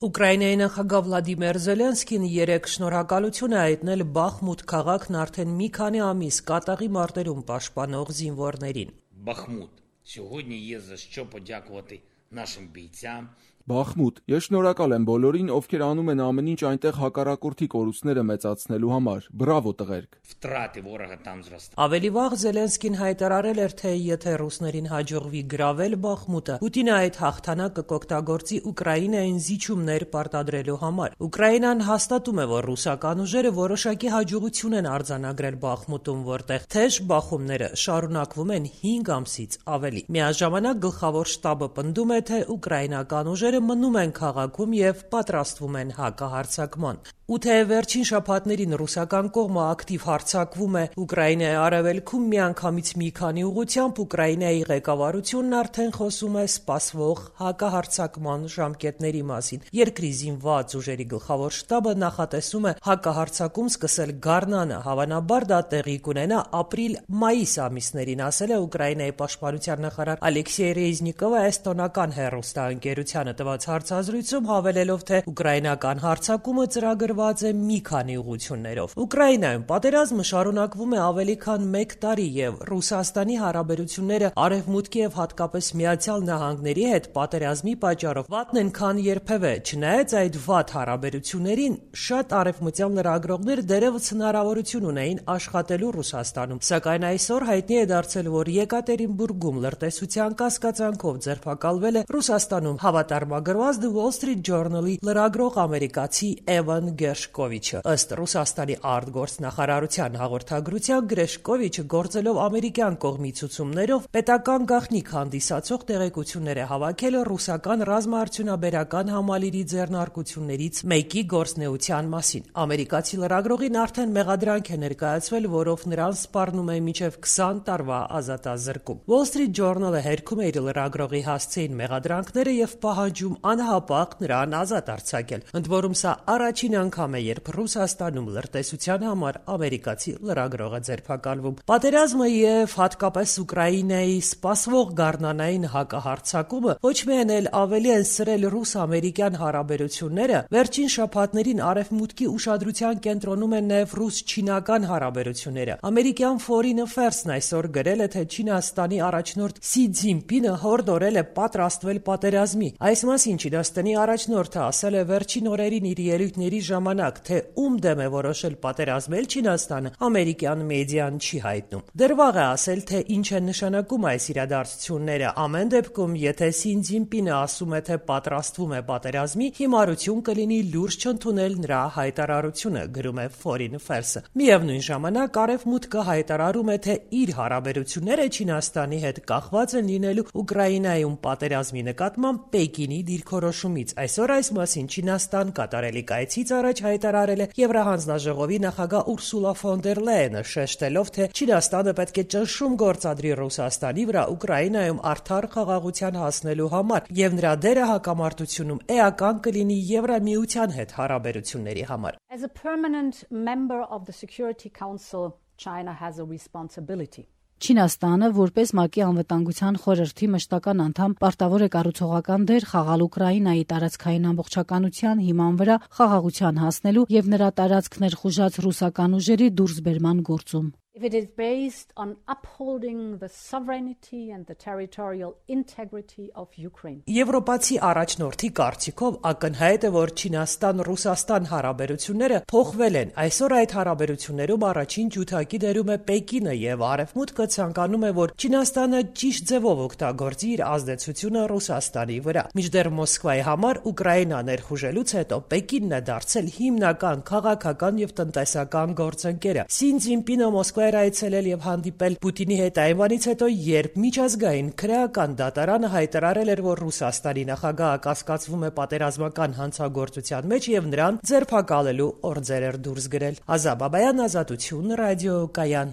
Ուկրաինայի նախագահ Վլադիմիր Զելենսկին երեկ շնորհակալություն է հայտնել Բախմուտ քաղաքն արդեն մի քանի ամիս կատաղի մարտերում պաշտպանող զինվորներին։ Бахмут. Сьогодні є за що подякувати нашим бійцям. Բախմուտ, ես շնորհակալ եմ բոլորին, ովքեր անում են ամեն ինչ այնտեղ հակառակորդի կորուստները մեծացնելու համար։ Բրավո տղերք։ Վտրати ворога там зростають. Ավելի վաղ Զելենսկին հայտարարել էր, թե եթե ռուսներին հաջողվի գրավել Բախմուտը, Պուտինը այդ հաղթանակը կօգտագործի Ուկրաինային զիջումներ պարտադրելու համար։ Ուկրաինան հաստատում է, որ ռուսական ուժերը որոշակի հաջողություն են արձանագրել Բախմուտում, որտեղ թեժ բախումները շարունակվում են 5 ամսից ավելի։ Միաժամանակ գլխավոր շտաբը պնդում է, թե ուկրաինական ուժերը մնում են քաղաքում եւ պատրաստվում են հակահարձակման։ Ու թե վերջին շաբաթներին ռուսական կողմը ակտիվ հարձակվում է Ուկրաինայի արևելքում միանգամից մի քանի ուղղությամբ, Ուկրաինայի ղեկավարությունն արդեն խոսում է սպասվող հակահարձակման ժամկետների մասին։ Երկրի զինված ուժերի գլխավոր շտաբը նախատեսում է հակահարձակում սկսել գարնանը, հավանաբար դա տեղի կունենա ապրիլ-մայիս ամիսներին, ասել է Ուկրաինայի պաշտպանության նախարար Ալեքսեյ Ռեզնիկովը էստոնական հեռուստաընկերությանը տված հարցազրույցում, հավելելով, թե ուկրաինական հարձակումը ծրագրված է մի քանի ուղղություններով։ Ուկրաինայում պատերազմը շարունակվում է ավելի քան 1 տարի եւ Ռուսաստանի հարաբերությունները Արևմուտքի եւ հատկապես Միացյալ Նահանգների հետ պատերազմի պատճառով վատն են քան երբևէ։ Չնայած այդ վատ հարաբերություններին, շատ արևմտյան լրագրողներ դեռևս հնարավորություն ունեին աշխատելու Ռուսաստանում, սակայն այսօր հայտնի է դարձել, որ Եկատերինբուրգում լրտեսության կասկածանքով ձերբակալվել է Ռուսաստանում հավատարմագրված The Wall Street Journal-ի լրագրող ամերիկացի Էվան Գերշկովիչը։ Ըստ Ռուսաստանի արտգործնախարարության հաղորդագրության, Գրեշկովիչը գործելով ամերիկյան կողմի ցուցումներով պետական գաղտնիք հանդիսացող տեղեկություններ է հավաքել ռուսական ռազմաարդյունաբերական համալիրի ձեռնարկություններից մեկի գործնեության մասին։ Ամերիկացի լրագրողին արդեն մեղադրանք է ներկայացվել, որով նրան սպառնում է մինչև 20 տարվա ազատազրկում։ Wall Street Journal-ը հերքում է իր լրագրողի հասցեին մեղադրանքները եւ պահանջում անհապաղ նրան ազատ արձակել։ Ընդ որում սա առաջին անգամ է, երբ Ռուսաստանում լրտեսության համար ամերիկացի լրագրողը ձերբակալվում։ Պատերազմը եւ հատկապես Ուկրաինայի սպասվող գարնանային հակահարձակումը ոչ միայն էլ ավելի են սրել ռուս-ամերիկյան հարաբերությունները, վերջին շաբաթներին Արևմուտքի ուշադրության կենտրոնում են նաեւ ռուս-չինական հարաբերությունները։ Ամերիկյան Foreign Affairs-ն այսօր գրել է, թե Չինաստանի առաջնորդ Սի Ցզինպինը հորդորել է պատրաստվել պատերազմի։ Այս մասին Չինաստանի առաջնորդը ասել է վերջին օրերին իր ելույթների ժամանակ, թե ում դեմ է որոշել պատերազմել Չինաստանը, ամերիկյան մեդիան չի հայտնում։ Դեռ վաղ է ասել, թե ինչ են նշանակում այս իրադարձությունները։ Ամեն դեպքում, եթե Սի Ցզինպինը ասում է, թե պատրաստվում է պատերազմի, հիմարություն կլինի լուրջ չընդունել նրա հայտարարությունը, գրում է Foreign Affairs-ը։ Միևնույն ժամանակ Արևմուտքը հայտարարում է, թե իր հարաբերությունները Չինաստանի հետ կախված են լինելու Ուկրաինայում պատերազմի նկատմամբ Պեկինի դիրքորոշումից։ Այսօր այս մասին Չինաստան կատարելիք այցից առաջ հայտարարել է Եվրահանձնաժողովի նախագահ Ուրսուլա ֆոն դեր Լայենը, շեշտելով, թե Չինաստանը պետք է ճնշում գործադրի Ռուսաստանի վրա Ուկրաինայում արդար խաղաղության հասնելու համար, եւ նրա դերը հակամարտությունում էական կլինի Եվրամիության հետ հարաբերությունների համար։ As a permanent member of the Security Council, China has a responsibility. Չինաստանը, որպես ՄԱԿ-ի անվտանգության խորհրդի մշտական անդամ, պարտավոր է կառուցողական դեր խաղալ Ուկրաինայի տարածքային ամբողջականության հիման վրա խաղաղության հասնելու եւ նրա տարածքներ խուժած ռուսական ուժերի դուրսբերման գործում։ If it is based on upholding the sovereignty and the territorial integrity of Ukraine. Եվրոպացի առաջնորդի կարծիքով ակնհայտ է, որ Չինաստան-Ռուսաստան հարաբերությունները փոխվել են։ Այսօր այդ հարաբերություններում առաջին ջութակի դերում է Պեկինը եւ Արևմուտքը ցանկանում է, որ Չինաստանը ճիշտ ձևով օգտագործի իր ազդեցությունը Ռուսաստանի վրա։ Մինչդեռ Մոսկվայի համար Ուկրաինա ներխուժելուց հետո Պեկինն է դարձել հիմնական քաղաքական եւ տնտեսական գործընկերը։ Սի Ցզինպինը Մոսկվա այցելել եւ հանդիպել Պուտինի հետ այնվանից հետո, երբ միջազգային քրեական դատարանը հայտարարել էր, որ Ռուսաստանի նախագահը կասկածվում է պատերազմական հանցագործության մեջ եւ նրան ձերբակալելու օրձեր էր դուրս գրել։ Ազատ Բաբայան, Ազատություն, ռադիո Կայան։